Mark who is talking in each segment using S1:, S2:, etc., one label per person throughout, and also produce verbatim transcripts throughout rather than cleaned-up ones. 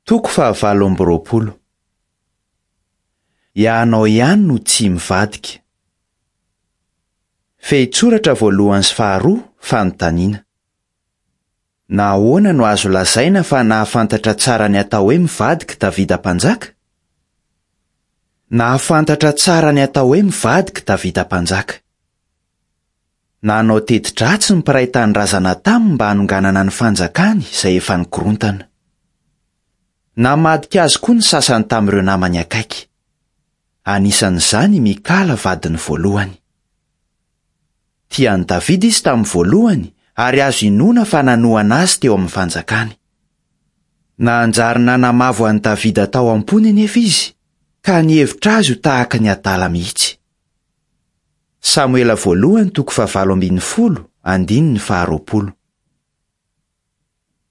S1: Toko fahavalo amby roapolo. Ianao ihany no tsy mivadika. Fehintsoratra voalohany sy faharoa, fanontaniana. Nahoana no azo lazaina fa nahafantatra tsara ny atao hoe mivadika Davida mpanjaka? Nahafantatra tsara ny atao hoe mivadika Davida mpanjaka. Nanao teti-dratsy ny mpiray tanindrazana taminy mba hanonganana ny fanjakany izay efa nikorontana. Namadika azy koa ny sasany tamin'ireo namany akaiky. Anisan'izany i Mikala vadiny voalohany. Tia an'i Davida izy tamin'ny voalohany ary azo inoana fa nanohana azy teo amin'ny fanjakany. Nanjary nanamavo an'i Davida tao am-pony anefa izy, ka nihevitra azy ho tahaka ny adala mihitsy. Samoela voalohany toko fahavalo ambin'ny folo, andininy faharoapolo.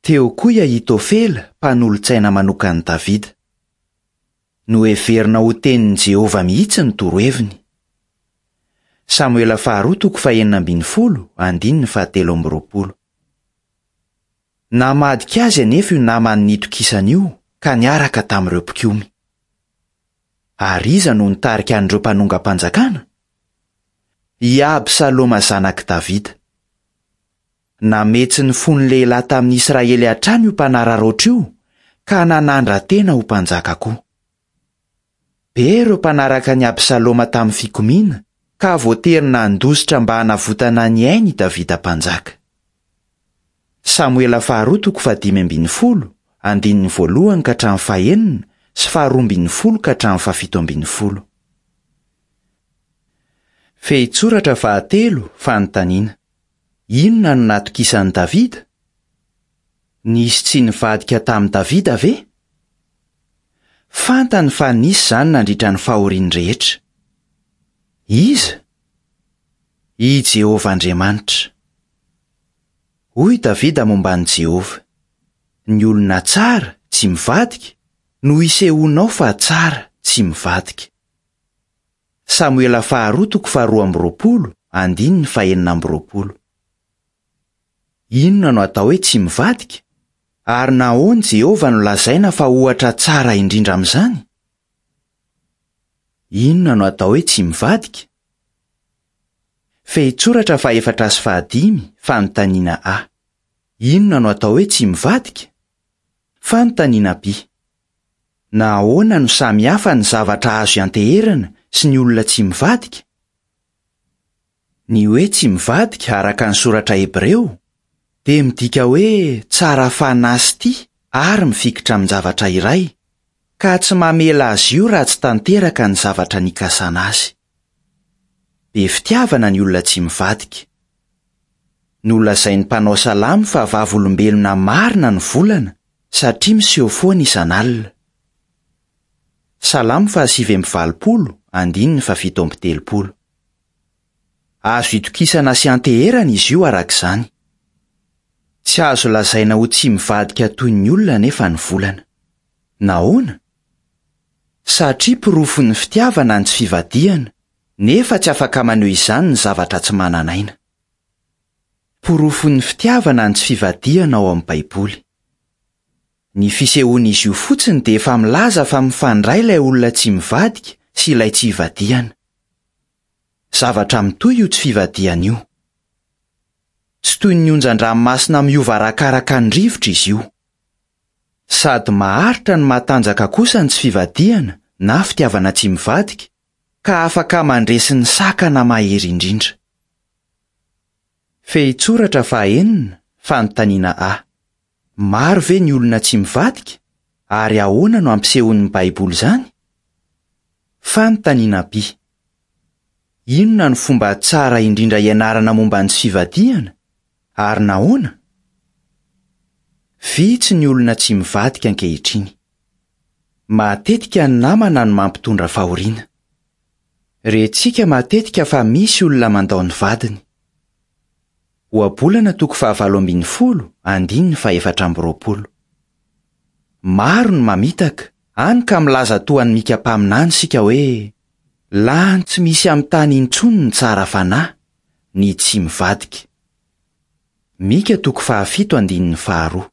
S1: Teo koa i Ahitofela, mpanolotsaina manokan'i Davida. Noheverina ho tenin'i Jehovah mihitsy ny toroheviny. Samoela faharoa toko fahenina ambin'ny folo, andininy fahatelo amby roapolo. Namadika azy anefa io namany nitokisany io ka niaraka tamin'ireo mpikomy. Ary iza no nitarika an'ireo mpanongam-panjakana? I Absaloma zanak'i Davida. Nametsy ny fon'ny lehilahy tamin'ny Israely hatrany io mpanararaotra io ka nanandra-tena ho mpanjaka koa. Be ireo mpanaraka an'i Absaloma tamin'ny fikomiana ka voatery nandositra mba hanavotana ny ainy i Davida mpanjaka. Samoela faharoa toko fahadimy ambin'ny folo, andininy voalohany ka hatramin'ny fahenina sy faharoa ambin'ny folo ka hatramin'ny fahafito ambin'ny folo. Fehintsoratra fahatelo, fanontaniana. Inona no natokisan'i Davida? Nisy tsy nivadika tamin'i Davida ve? Fantany fa nisy izany nandritra ny fahoriany rehetra. Iza? I Jehovah Andriamanitra. Hoy Davida momba an'i Jehovah: Ny olona tsara, tsy mivadika, no isehoanao fa tsara, tsy mivadika. Samoela faharoa toko faharoa amby roapolo, andininy fahenina amby roapolo. Inona no atao hoe tsy mivadika? Ary nahoana Jehovah no lazaina fa ohatra tsara indrindra amin'izany? Inona no atao hoe tsy mivadika? Fehintsoratra fahefatra sy fahadimy, fanontaniana A. Inona no atao hoe tsy mivadika? Fanontaniana B. Nahoana no samy hafa ny zavatra azo ianteherana sy ny olona tsy mivadika? Ny hoe tsy mivadika araka ny soratra hebreo dia midika hoe tsara fanahy sy tia ary mifikitra amin-javatra iray, ka tsy mamela azy io raha tsy tanteraka ny zavatra nikasana azy. Be fitiavana ny olona tsy mivadika. Nolazain'ny mpanao salamo fa vavolombelona marina ny volana satria miseho foana isan'alina. Salamo fahasivy amby valopolo, andininy fahafito amby telopolo. Azo itokisana sy anteherana izy io araka izany. Tsy azo lazaina ho tsy mivadika toy ny olona nefa ny volana. Nahoana? Satria porofon'ny fitiavana ny tsy fivadihana, nefa tsy afaka maneho izany ny zavatra tsy manan'aina. Porofon'ny fitiavana ny tsy fivadihana ao amin'ny Baiboly. Ny fisehoan'izy io fotsiny dia efa milaza fa mifandray ilay olona tsy mivadika sy ilay tsy ivadihana. Zavatra mitohy io tsy fivadihana io. Tsy toy ny onjan-dranomasina miova arakaraka ny rivotra izy io. Sady maharitra no matanjaka kosa ny tsy fivadihana na fitiavana tsy mivadika, ka afaka mandresy ny sakana mahery indrindra. Fehintsoratra fahaenina, fanontaniana A. Maro ve ny olona tsy mivadika? Ary ahoana no ampisehoan'ny Baiboly izany? Fanontaniana B. Inona no fomba tsara indrindra ianarana momba ny tsy fivadihana? Ary nahoana? Vitsy ny olona tsy mivadika ankehitriny. Matetika ny namana no mampitondra fahoriana. Rentsika matetika fa misy olona mandao ny vadiny. Ohabolana toko fahavalo ambin'ny folo, andininy fahefatra amby roapolo. Maro ny mamitaka, hany ka milaza toa an'i Mika mpaminany isika hoe lany tsy misy amin'ny tany intsony ny tsara fanahy, ny tsy mivadika. Mika toko fahafito andininy faharoa.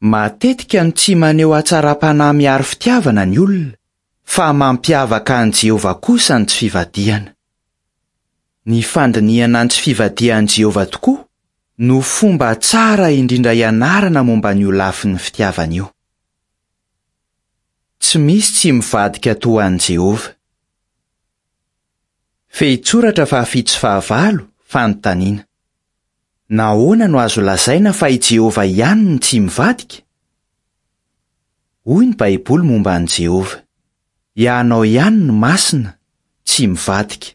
S1: Matetika no tsy maneho hatsaram-panahy miharo fitiavana ny olona, fa mampiavaka an'i Jehovah kosa ny tsy fivadihana. Ny fandinihana ny tsy fivadihan'i Jehovah tokoa no fomba tsara indrindra ianarana momba an'io lafin'ny fitiavana io. Tsy misy tsy mivadika toa an'i Jehovah. Fehintsoratra fahafito sy fahavalo, fanontaniana. Nahoana no azo lazaina fa i Jehovah ihany no tsy mivadika? Hoy ny Baiboly momba an'i Jehovah: Ianao ihany no masina, tsy mivadika.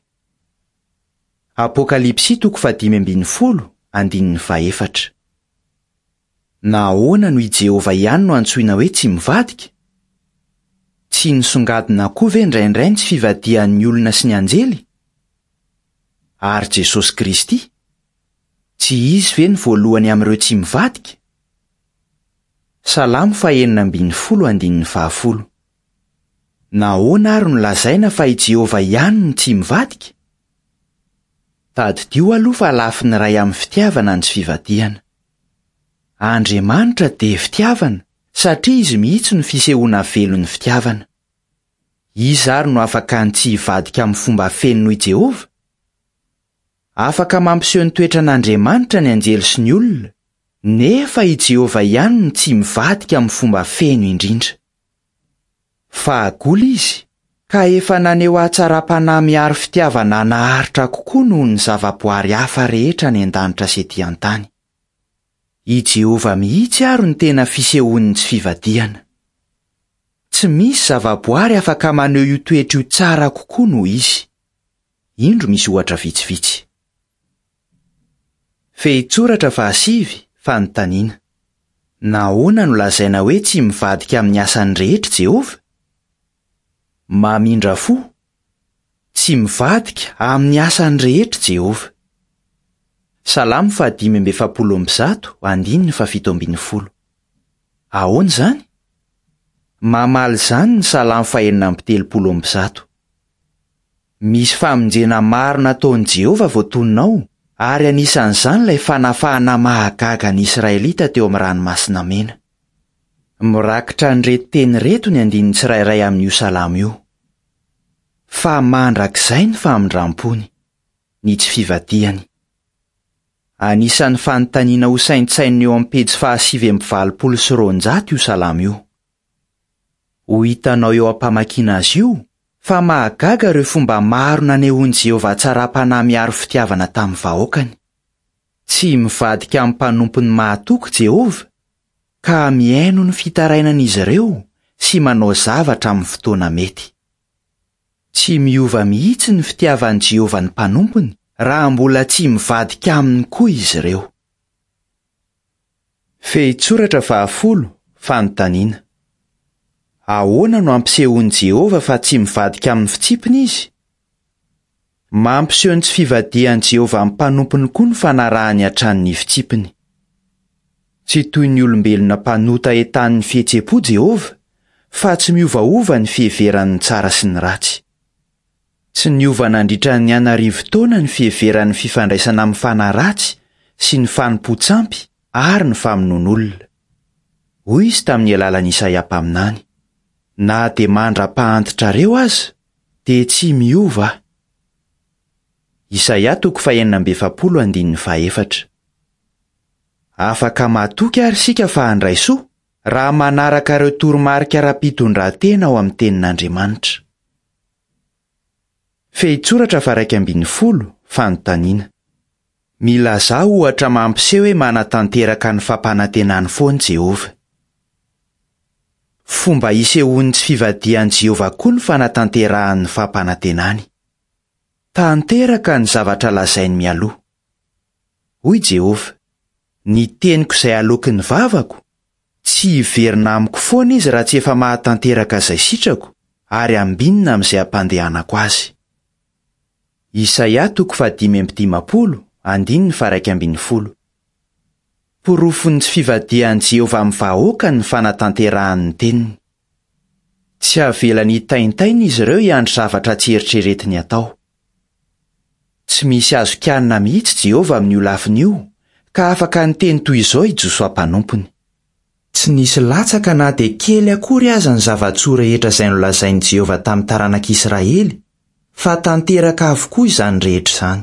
S1: Apokalypsy toko fahadimy ambin'ny folo, andininy fahefatra. Nahoana no i Jehovah ihany no antsoina hoe tsy mivadika? Tsy nisongadina koa ve indraindray ny tsy fivadihan'ny olona sy ny anjely? Ary Jesosy Kristy? Tsy izy ve ny voalohany amin'ireo tsy mivadika? Salamo fahenina ambin'ny folo andininy fahafolo. Nahoana ary no lazaina fa i Jehovah ihany no tsy mivadika? Tadidio aloha fa lafiny iray amin'ny fitiavana ny tsy fivadihana. Andriamanitra dia fitiavana satria izy mihitsy no fisehoana velon'ny fitiavana. Iza ary no afaka ny tsy hivadika amin'ny fomba feno noho i Jehovah? Afaka mampiseho ny toetran'Andriamanitra ny anjely sy ny olona, nefa i Jehovah ihany no tsy mivadika amin'ny fomba feno indrindra. Fahagola izy, ka efa naneho hatsaram-panahy miharo fitiavana naharitra kokoa noho ny zavaboary hafa rehetra any an-danitra sy ety an-tany. I Jehovah mihitsy ary no tena fisehoan'ny tsy fivadihana. Tsy misy zavaboary afaka maneho io toetra io tsara kokoa noho izy. Indro misy ohatra vitsivitsy. Fehintsoratra fahasivy, fanontaniana. Nahoana no lazaina hoe tsy mivadika amin'ny asany rehetra Jehovah? Mamindra fo. Tsy mivadika amin'ny asany rehetra Jehovah. Salamo fahadimy amby efapolo amby zato, andininy fahafito ambin'ny folo. Ahoana izany? Mamaly izany ny Salamo fahenina amby telopolo amby zato. Misy famonjena maro nataon'i Jehovah voatonona ao, ary anisan'izany ilay fanafahana mahagaga ny Israelita teo amin'ny ranomasina mena. Mirakitra an'ireto teny ireto ny andininy tsirairay amin'io salamo io. Fa mandrakizay ny famindram-pony, ny tsy fivadihany. Anisan'ny fanontaniana ho saintsainina eo amin'ny pejy fahasivy amby valopolo sy roanjato io salamo io. Ho hitanao eo am-pamakiana azy io fa mahagaga ireo fomba maro nanehoan'i Jehovah hatsaram-panahy miharo fitiavana tamin'ny vahoakany. Tsy mivadika amin'ny mpanompony mahatoky Jehovah, ka mihaino ny fitarainan'izy ireo sy manao zavatra amin'ny fotoana mety. Tsy miova mihitsy ny fitiavan'i Jehovah ny mpanompony raha mbola tsy mivadika aminy koa izy ireo. Fehintsoratra fahafolo, fanontaniana. Ahoana no ampisehoan'i Jehovah fa tsy mivadika amin'ny fitsipiny izy? Mampiseho ny tsy fivadihan'i Jehovah amin'ny mpanompony koa ny fanarahany hatrany ny fitsipiny. Tsy toy ny olombelona mpanota entanin'ny fihetseham-po Jehovah, fa tsy miovaova ny fiheverany ny tsara sy ny ratsy. Tsy niova nandritra ny an'arivo taona ny fiheveran'ny fifandraisana amin'ny fanahy ratsy sy ny fanompoan-tsampy ary ny famonoan'olona. Hoy izy tamin'ny alalan'i Isaia mpaminany: Na dia mandra-pahantitrareo aza, dia tsy miova aho. Isaia toko fahenina amby efapolo andininy fahefatra. Afaka matoky ary isika fa handray soa raha manaraka ireo toromarika ara-pitondran-tena ao amin'ny tenin'Andriamanitra. Fehintsoratra faha-iraika ambin'ny folo, fanontaniana. Milazà ohatra mampiseho hoe manatanteraka ny fampanantenany foana Jehovah. Fomba isehoan'ny tsy fivadihan'i Jehovah koa ny fanatanterahany ny fampanantenany. Tanteraka ny zavatra lazainy mialoha. Hoy Jehovah: Ny teniko izay aloaky ny vavako, tsy hiverina amiko foana izy raha tsy efa mahatanteraka izay sitrako ary ambinina amin'izay ampandehanako azy. Isaia toko fahadimy amby dimampolo, andininy faha-iraika ambin'ny folo. Porofon'ny tsy fivadihan'i Jehovah amin'ny vahoaka ny fanatanterahany ny teniny. Tsy avelany hitaintaina izy ireo hiandry zavatra tsy eritreretiny atao. Tsy misy azo kianina mihitsy Jehovah amin'io lafiny io, ka afaka niteny toy izao i Josoa mpanompony: Tsy nisy latsaka na dia kely akory aza ny zava-tsoa rehetra izay nolazain'i Jehovah tamin'ny taranak'Israely, fa tanteraka avokoa izany rehetra izany.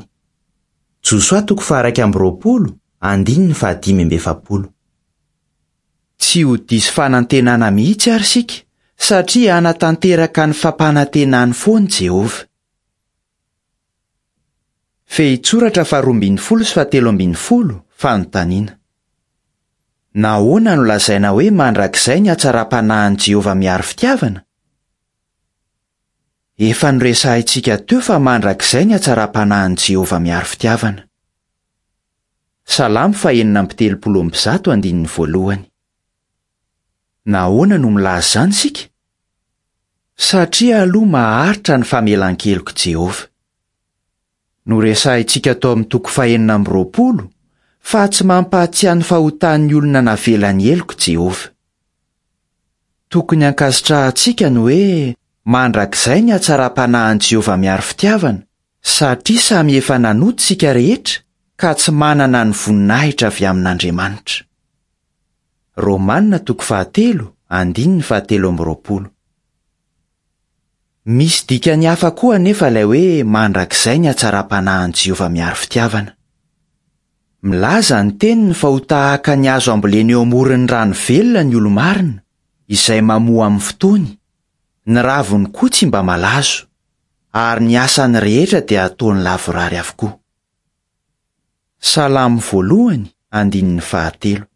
S1: Josoa toko faha-iraika amby roapolo, andininy fahadimy amby efapolo. Tsy ho diso fanantenana mihitsy ary isika, satria hanatanteraka ny fampanantenany foana Jehovah. Fehintsoratra faharoa ambin'ny folo sy fahatelo ambin'ny folo, fanontaniana. Nahoana no lazaina hoe mandrakizay ny hatsaram-panahin'i Jehovah miaro fitiavana? Efa noresahintsika teo fa mandrakizay ny hatsaram-panahin'i Jehovah miaro fitiavana. Salamo fahenina amby telopolo amby zato andininy voalohany. Nahoana no milaza izany isika? Satria aloha maharitra ny famelan-kelok'i Jehovah. Noresahintsika tao amin'ny toko fahenina amby roapolo fa tsy mampahatsiahy ny fahotan'ny olona navelany heloka Jehovah. Tokony hankasitrahantsika ny hoe mandrakizay ny hatsaram-panahin'i Jehovah miaro fitiavana, satria samy efa nanota isika rehetra ka tsy manana ny voninahitra avy amin'Andriamanitra. Romana toko fahatelo, andininy fahatelo amby roapolo. Misy dikany hafa koa anefa ilay hoe mandrakizay ny hatsaram-panahin'i Jehovah miaro fitiavana. Milaza ny teniny fa ho tahaka ny hazo ambolena eo amoron'ny rano velona ny olo-marina, izay mamoa amin'ny fotoany, ny raviny koa tsy mba malazo, ary ny asany rehetra dia ataony lavorary avokoa. Salamo voalohany, andininy fahatelo.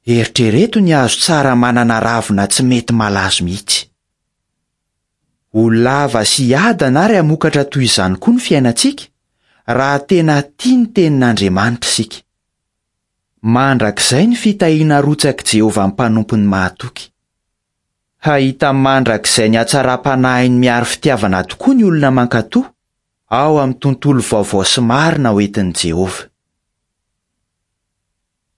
S1: Eritrereto ny hazo tsara manana ravina tsy mety malazo mihitsy. Ho lava sy hiadana ary hamokatra toy izany koa ny fiainantsika, raha tena tia ny tenin'Andriamanitra isika. Mandrakizay ny fitahiana arotsak'i Jehovah mpanompony mahatoky. Hahita mandrakizay ny hatsaram-panahiny miaro fitiavana tokoa ny olona mankatò ao amin'ny tontolo vaovao sy marina hoentin'i Jehovah.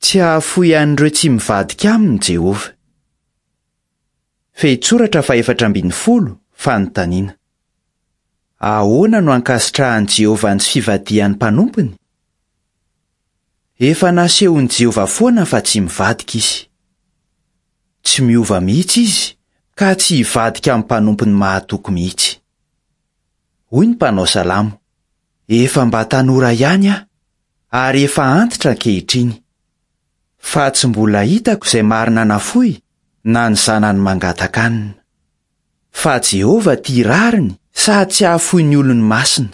S1: Tsy hahafoy an'ireo tsy mivadika aminy Jehovah. Fehintsoratra fahefatra ambin'ny folo, fanontaniana. Ahoana no ankasitrahan'i Jehovah ny tsy fivadihan'ny mpanompony? Efa nasehon'i Jehovah foana fa tsy mivadika izy. Tsy miova mihitsy izy ka tsy hivadika amin'ny mpanompony mahatoky mihitsy. Hoy ny mpanao salamo, efa mba tanora ihany aho, ary efa antitra ankehitriny. Fa tsy mbola hitako izay marina nafoy na ny zanany mangataka hanina. Fa Jehovah tia rariny sady tsy hahafoy ny olony masina,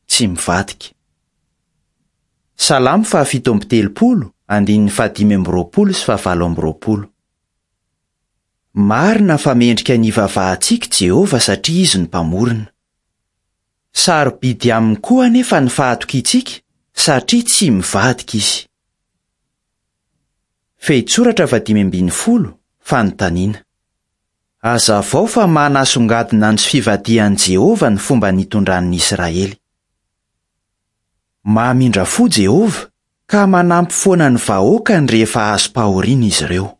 S1: tsy mivadika. Salamo fahafito amby telopolo, andininy fahadimy amby roapolo sy fahavalo amby roapolo. Marina fa mendrika ny hivavahantsika Jehovah satria izy no mpamorona. Sarobidy aminy koa anefa ny fahatokiantsika satria tsy mivadika izy. Fehintsoratra fahadimy ambin'ny folo, fanontaniana. Hazavao fa manasongadina ny tsy fivadihan'i Jehovah ny fomba nitondran'ny Israely. Mamindra fo Jehovah ka manampy foana ny vahoakany rehefa azom-pahoriana izy ireo.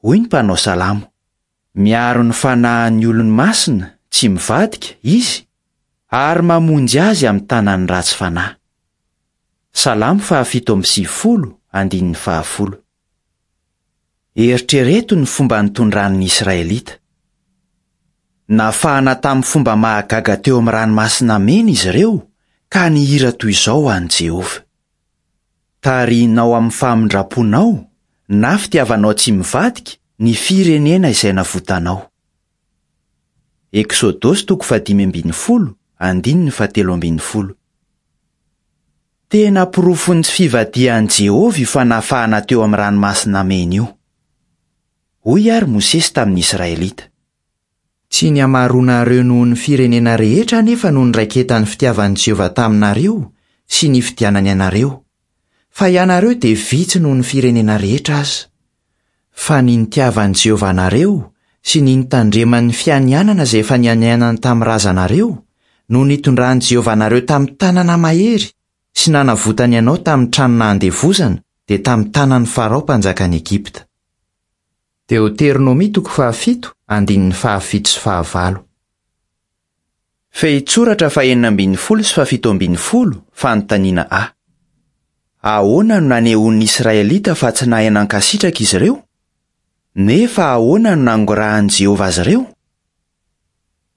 S1: Hoy ny mpanao salamo, miaro ny fanahin'ny olony masina tsy mivadika izy ary mamonjy azy amin'ny tanan'ny ratsy fanahy. Salamo fahafito amby sivifolo, andininy fahafolo. Eritrereto ny fomba nitondran'ny Israelita. Nafahana tamin'ny fomba mahagaga teo amin'ny ranomasina mena izy ireo ka nihira toy izao ho an'i Jehovah. Tarihinao amin'ny famindram-ponao na fitiavanao tsy mivadika ny firenena izay navotanao. Eksodosy toko fahadimy ambin'ny folo, andininy fahatelo ambin'ny folo. Tena porofon'ny tsy fivadihan'i Jehovah io fanafahana teo amin'ny ranomasina mena io. Hoy ary Mosesy tamin'ny Israelita. Tsy ny hamaroanareo noho ny firenena rehetra anefa no niraiketan'ny fitiavan'i Jehovah taminareo sy ny nifidianany anareo, fa ianareo dia vitsy noho ny firenena rehetra aza. Fa ny nitiavan'i Jehovah anareo sy ny nitandreman'ny fianianana izay efa nianianany tamin'ny razanareo no nitondran'i Jehovah anareo tamin'ny tanana mahery sy nanavotany anao tamin'ny trano nahandevozana dia tamin'ny tanan'ny Farao mpanjakan'i Egypta. Deoteronomia toko fahafito, andininy fahafito sy fahavalo. Fehintsoratra fahenina ambin'ny folo sy fahafito ambin'ny folo, fanontaniana A. Ahoana no nanehoan'ny Israelita fa tsy nahay nankasitraka izy ireo? Nefa ahoana no nangorahan'i Jehovah azy ireo?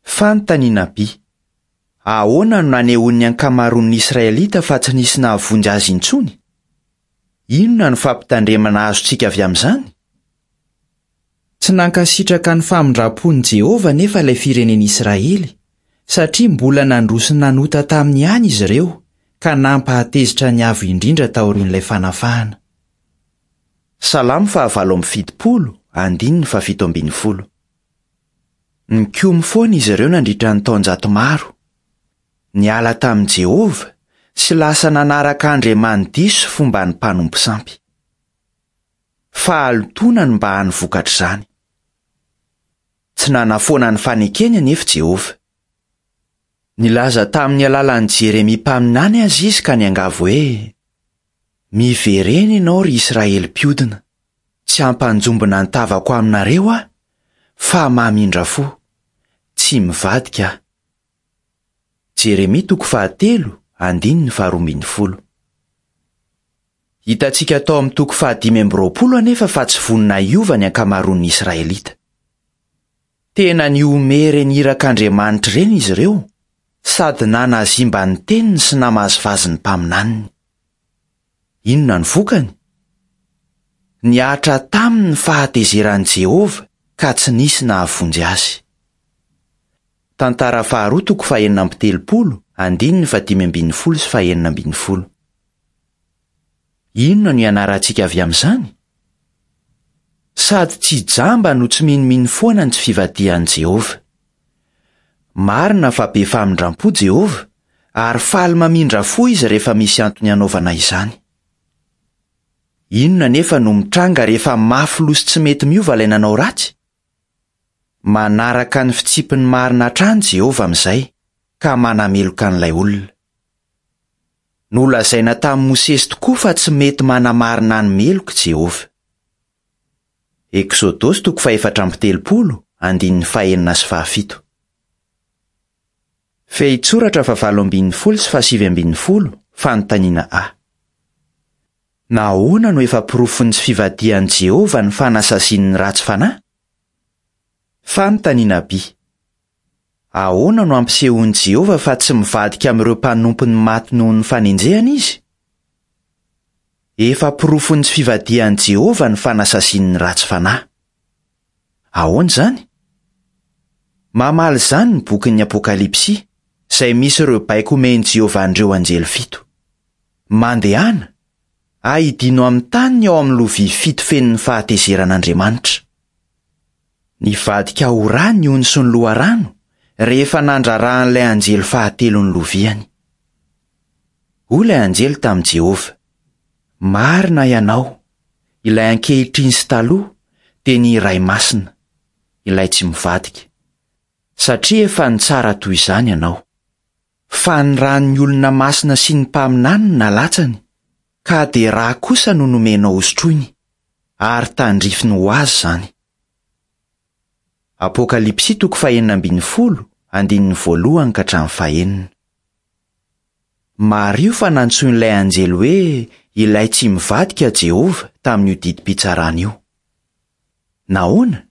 S1: Fanontaniana B. Ahoana no nanehoan'ny ankamaroan'ny Israelita fa tsy nisy nahavonjy azy intsony? Inona no fampitandremana azontsika avy amin'izany? Tsy nankasitraka ny famindram-pon'i Jehovah nefa ilay firenen'Israely, satria mbola nandroso nanota taminy ihany izy ireo, ka nampahatezitra ny Avo Indrindra taorian'ilay fanafahana. Salamo fahavalo amby fitopolo, andininy fahafito ambin'ny folo. Nikomy foana izy ireo nandritra ny taonjato maro. Niala tamin'i Jehovah sy lasa nanaraka andriamani-diso fomba ny mpanompo sampy. Fahalotoana no mba hany vokatr'izany. Tsy nanafoana ny fanekeny anefa Jehovah. Nilaza tamin'ny alalan'i Jeremia mpaminany azy izy ka niangavy hoe: "Miverena ianao ry Israely mpiodina, tsy hampanjombona ny tavako aminareo aho, fa mamindra fo, tsy mivadika aho." Jeremia toko fahatelo, andininy faharoa ambin'ny folo. Hitantsika tao amin'ny toko fahadimy amby roapolo anefa fa tsy vonona hiova ny ankamaroan'ny Israelita. Tena nihomehy ireny irak'Andriamanitra ireny izy ireo, sady nanazimba ny teniny sy namazivazy ny mpaminaniny. Inona ny vokany? Nihatra taminy ny fahatezeran'i Jehovah ka tsy nisy nahavonjy azy. Tantara faharoa toko fahenina amby telopolo, andininy fahadimy ambin'ny folo sy fahenina ambin'ny folo. Inona no ianarantsika avy amin'izany? Sady tsy jamba no tsy minomino foana ny tsy fivadihan'i Jehovah. Marina fa be famindram-po Jehovah, ary faly mamindra fo izy rehefa misy antony hanaovana izany. Inona nefa no mitranga rehefa mafy loha sy tsy mety miova ilay nanao ratsy? Manaraka ny fitsipiny marina hatrany Jehovah amin'izay, ka manameloka an'ilay olona. Nolazaina tamin'i Mosesy tokoa fa tsy mety manamarina ny meloka Jehovah. Eksodosy toko fahefatra amby telopolo, andininy fahenina sy fahafito. Fehintsoratra fahavalo ambin'ny folo sy fahasivy ambin'ny folo, fanontaniana A. Nahoana no efa porofon'ny tsy fivadihan'i Jehovah ny fanasaziany ny ratsy fanahy? Fanontaniana B. Ahoana no ampisehoan'i Jehovah fa tsy mivadika amin'ireo mpanompony maty noho ny fanenjehana izy? Efa porofon'ny tsy fivadihan'i Jehovah ny fanasaziany ny ratsy fanahy. Ahoana izany? Mamaly izany ny bokin'ny Apokalypsy, izay misy ireo baiko omen'i Jehovah an'ireo anjely fito. Mandehana, aidino amin'ny tany ny ao amin'ny lovia fito feno ny fahatezeran'Andriamanitra. Nivadika ho rà ny ony sy ny loharano rehefa nandrarahan'ilay anjely fahatelo ny loviany. Hoy ilay anjely tamin'i Jehovah: "Marina ianao, ilay ankehitriny sy taloha, dia ny Iray Masina, ilay tsy mivadika, satria efa nitsara toy izany ianao. Fa ny ràn'ny olona masina sy ny mpaminany no nalatsany, ka dia rà kosa no nomenao hosotroiny, ary tandrifiny ho azy izany." Apokalypsy toko fahenina ambin'ny folo, andininy voalohany ka hatramin'ny fahenina. Mariho fa nantsoin'ilay anjely hoe ilay tsy mivadika Jehovah tamin'io didim-pitsarana io. Nahoana?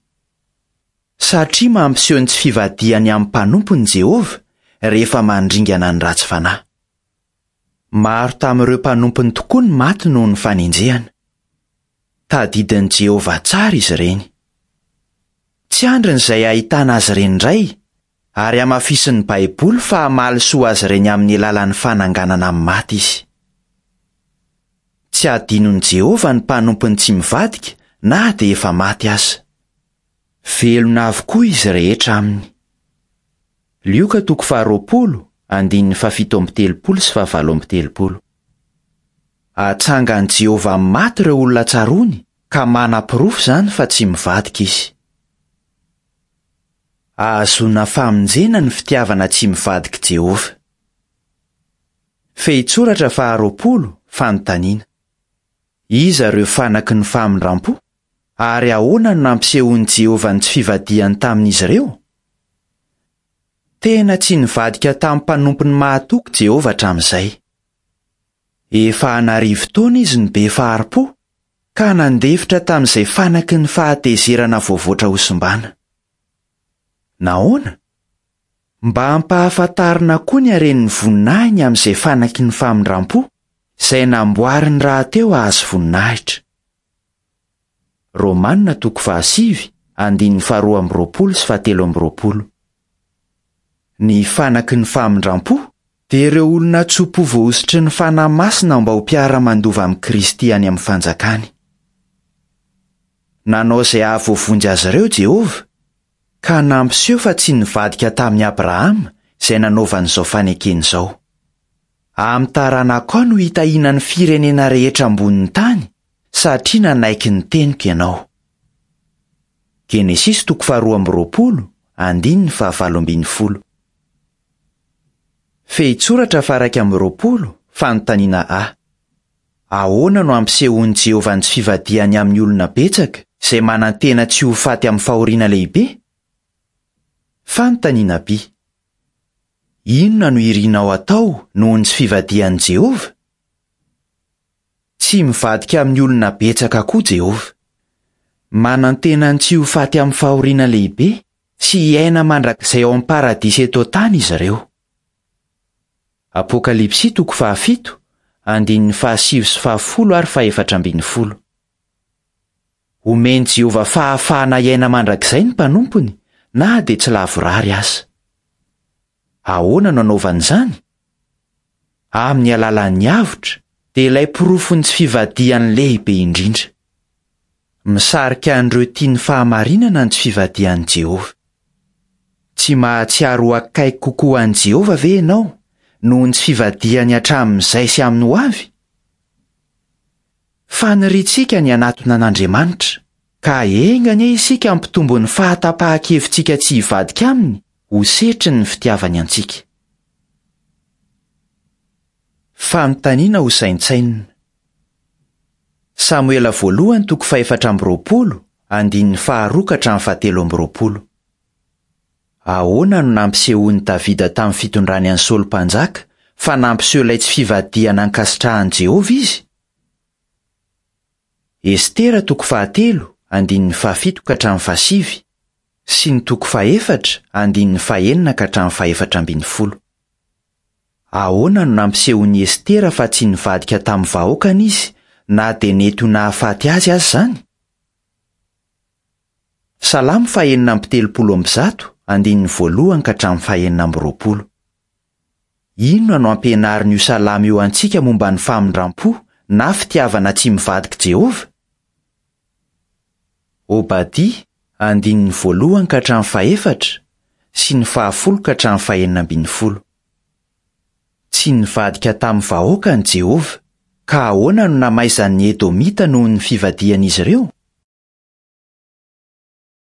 S1: Satria mampiseho ny tsy fivadihany amin'ny mpanompony Jehovah rehefa mandringana ny ratsy fanahy. Maro tamin'ireo mpanompony tokoa ny maty noho ny fanenjehana. Tadidin'i Jehovah tsara izy ireny. Tsy andriny izay ahitana azy ireny indray, ary hamafisin'ny Baiboly fa hamaly soa azy ireny amin'ny alalan'ny fananganana amin'ny maty izy. Tsy hadinon'i Jehovah ny mpanompony tsy mivadika na dia efa maty aza. Velona avokoa izy rehetra aminy. Lioka toko faharoapolo, andininy fahafito amby telopolo sy fahavalo amby telopolo. Atsangan'i Jehovah amin'ny maty ireo olona tsaroany, ka manaporofo izany fa tsy mivadika izy. Ahazoana famonjena ny fitiavana tsy mivadik'i Jehovah. Fehintsoratra faharoapolo, fanontaniana. Iza ireo fanaky ny famindram-po, ary ahoana no nampisehoan'i Jehovah ny tsy fivadihany tamin'izy ireo? Tena tsy nivadika tamin'ny mpanompony mahatoky Jehovah hatramin'izay. Efa an'arivo taona izy no be fahari-po, ka nandefitra tamin'izay fanaky ny fahatezerana voavoatra hosimbana. Nahoana? Mba hampahafantarina koa ny haren'ny voninahiny amin'izay fanaky ny famindram-po, izay namboariny rahateo hahazo voninahitra. Romanina toko fahasivy, andininy faharoa amby roapolo sy fahatelo amby roapolo. Ny fanaky ny famindram-po dia ireo olona tso-po voahosotry ny Fanahy Masina mba ho mpiara-mandova amin'i Kristy any amin'ny fanjakany. Nanao izay hahavoavonjy azy ireo Jehovah, ka nampiseho fa tsy nivadika tamin'i Abrahama izay nanaovany izao fanekena izao. Amin'ny taranakao no hitahiana ny firenena rehetra ambonin'ny tany, satria nanaiky ny teniko ianao. Genesisy toko faharoa amby roapolo, andininy fahavalo ambin'ny folo. Fehintsoratra faha-iraika amby roapolo, fanontaniana A. Ahoana no ampisehoan'i Jehovah ny tsy fivadihany amin'ny olona betsaka izay manantena tsy ho faty amin'ny fahoriana lehibe? Fanontaniana B. Inona no irinao atao noho ny tsy fivadihan'i Jehovah? Tsy mivadika amin'ny olona betsaka koa Jehovah. Manantena ny tsy ho faty amin'ny fahoriana lehibe sy hiaina mandrakizay ao amin'ny paradisa eto an-tany izy ireo. Apokalypsy toko fahafito, andininy fahasivy sy fahafolo ary fahefatra ambin'ny folo. Omen'i Jehovah fahafahana hiaina mandrakizay ny mpanompony na dia tsy lavorary aza. Ahoana no anaovany izany? Amin'ny alalan'ny avotra dia ilay porofon'ny tsy fivadihany lehibe indrindra. Misarika an'ireo tia ny fahamarinana ny tsy fivadihan'i Jehovah. Tsy mahatsiaro ho akaiky kokoa an'i Jehovah ve ianao noho ny tsy fivadihany hatramin'izay sy amin'ny hoavy? Faniriantsika ny hanatona an'Andriamanitra, ka enga anie isika hampitombo ny fahatapahan-kevitsika tsy hivadika aminy ho setrin'ny fitiavany antsika. Fanontaniana ho saintsainina. Samoela voalohany toko fahefatra amby roapolo, andininy faharoa ka hatramin'ny fahatelo amby roapolo. Ahoana no nampisehoan'i Davida tamin'ny fitondrany an'i Saoly mpanjaka fa nampiseho ilay tsy fivadihana ankasitrahan'i Jehovah izy? Estera toko fahatelo, andininy fahafito ka hatramin'ny fahasivy, sy ny toko fahefatra, andininy fahenina ka hatramin'ny fahefatra ambin'ny folo. Ahoana no nampisehoan'i Estera fa tsy nivadika tamin'ny vahoakany izy na dia nety ho nahafaty azy aza izany? Salamo fahenina amby telopolo amby zato, andininy voalohany ka hatramin'ny fahenina amby roapolo. Inona no ampianarin'io salamo io antsika momba ny famindram-po na fitiavana tsy mivadika Jehovah? Obadia, andininy voalohany ka hatramin'ny fahefatra sy ny fahafolo ka hatramin'ny fahenina ambin'ny folo. Tsy nivadika tamin'ny vahoakany Jehovah, ka ahoana no namaizan'ny Edomita noho ny fivadihan'izy ireo?